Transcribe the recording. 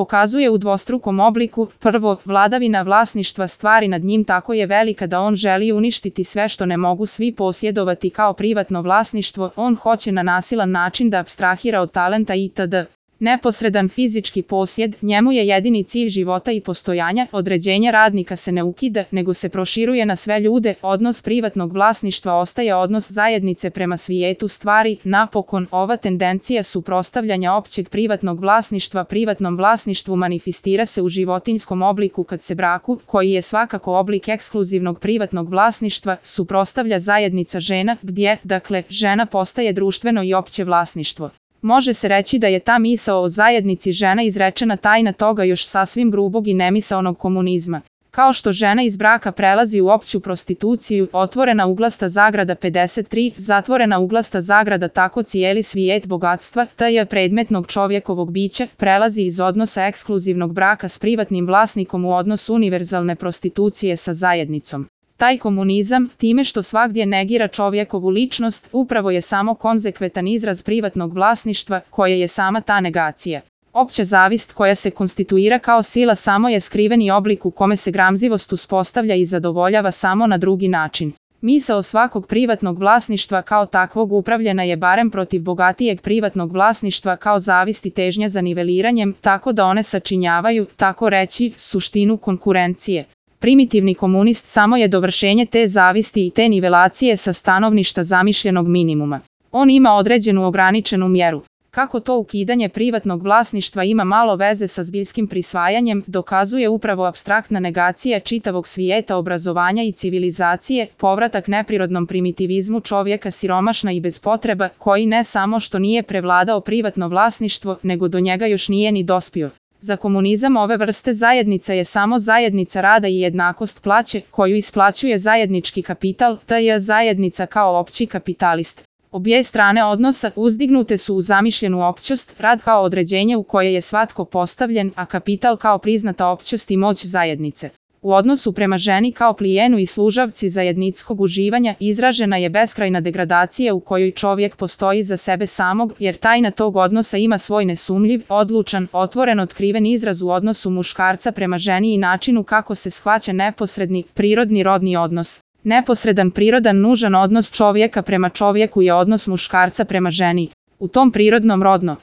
pokazuje u dvostrukom obliku. Prvo, vladavina vlasništva stvari nad njim tako je velika da on želi uništiti sve što ne mogu svi posjedovati kao privatno vlasništvo, on hoće na nasilan način da apstrahira od talenta itd. Neposredan fizički posjed, njemu je jedini cilj života i postojanja, određenje radnika se ne ukida, nego se proširuje na sve ljude, odnos privatnog vlasništva ostaje odnos zajednice prema svijetu stvari, napokon, ova tendencija suprotstavljanja općeg privatnog vlasništva privatnom vlasništvu manifestira se u životinjskom obliku kad se braku, koji je svakako oblik ekskluzivnog privatnog vlasništva, suprotstavlja zajednica žena, gdje, dakle, žena postaje društveno i opće vlasništvo. Može se reći da je ta misao o zajednici žena izrečena tajna toga još sasvim grubog i nemisaonog komunizma. Kao što žena iz braka prelazi u opću prostituciju, otvorena uglasta zagrada 53, zatvorena uglasta zagrada tako cijeli svijet bogatstva, taj predmetnog čovjekovog bića, prelazi iz odnosa ekskluzivnog braka s privatnim vlasnikom u odnos univerzalne prostitucije sa zajednicom. Taj komunizam, time što svagdje negira čovjekovu ličnost, upravo je samo konzekventan izraz privatnog vlasništva, koje je sama ta negacija. Opća zavist koja se konstituira kao sila samo je skriveni oblik u kome se gramzivost uspostavlja i zadovoljava samo na drugi način. Misao svakog privatnog vlasništva kao takvog upravljena je barem protiv bogatijeg privatnog vlasništva kao zavist i težnja za niveliranjem, tako da one sačinjavaju, tako reći, suštinu konkurencije. Primitivni komunist samo je dovršenje te zavisti i te nivelacije sa stanovišta zamišljenog minimuma. On ima određenu ograničenu mjeru. Kako to ukidanje privatnog vlasništva ima malo veze sa zbiljskim prisvajanjem, dokazuje upravo apstraktna negacija čitavog svijeta obrazovanja i civilizacije, povratak neprirodnom primitivizmu čovjeka siromašna i bez potreba, koji ne samo što nije prevladao privatno vlasništvo, nego do njega još nije ni dospio. Za komunizam ove vrste zajednica je samo zajednica rada i jednakost plaće, koju isplaćuje zajednički kapital, taj zajednica kao opći kapitalist. Obje strane odnosa uzdignute su u zamišljenu općost, rad kao određenje u koje je svatko postavljen, a kapital kao priznata općost i moć zajednice. U odnosu prema ženi kao plijenu i služavci zajedničkog uživanja izražena je beskrajna degradacija u kojoj čovjek postoji za sebe samog, jer tajna tog odnosa ima svoj nesumljiv, odlučan, otvoren otkriven izraz u odnosu muškarca prema ženi i načinu kako se shvaća neposredni, prirodni rodni odnos. Neposredan prirodan nužan odnos čovjeka prema čovjeku je odnos muškarca prema ženi. U tom prirodnom rodno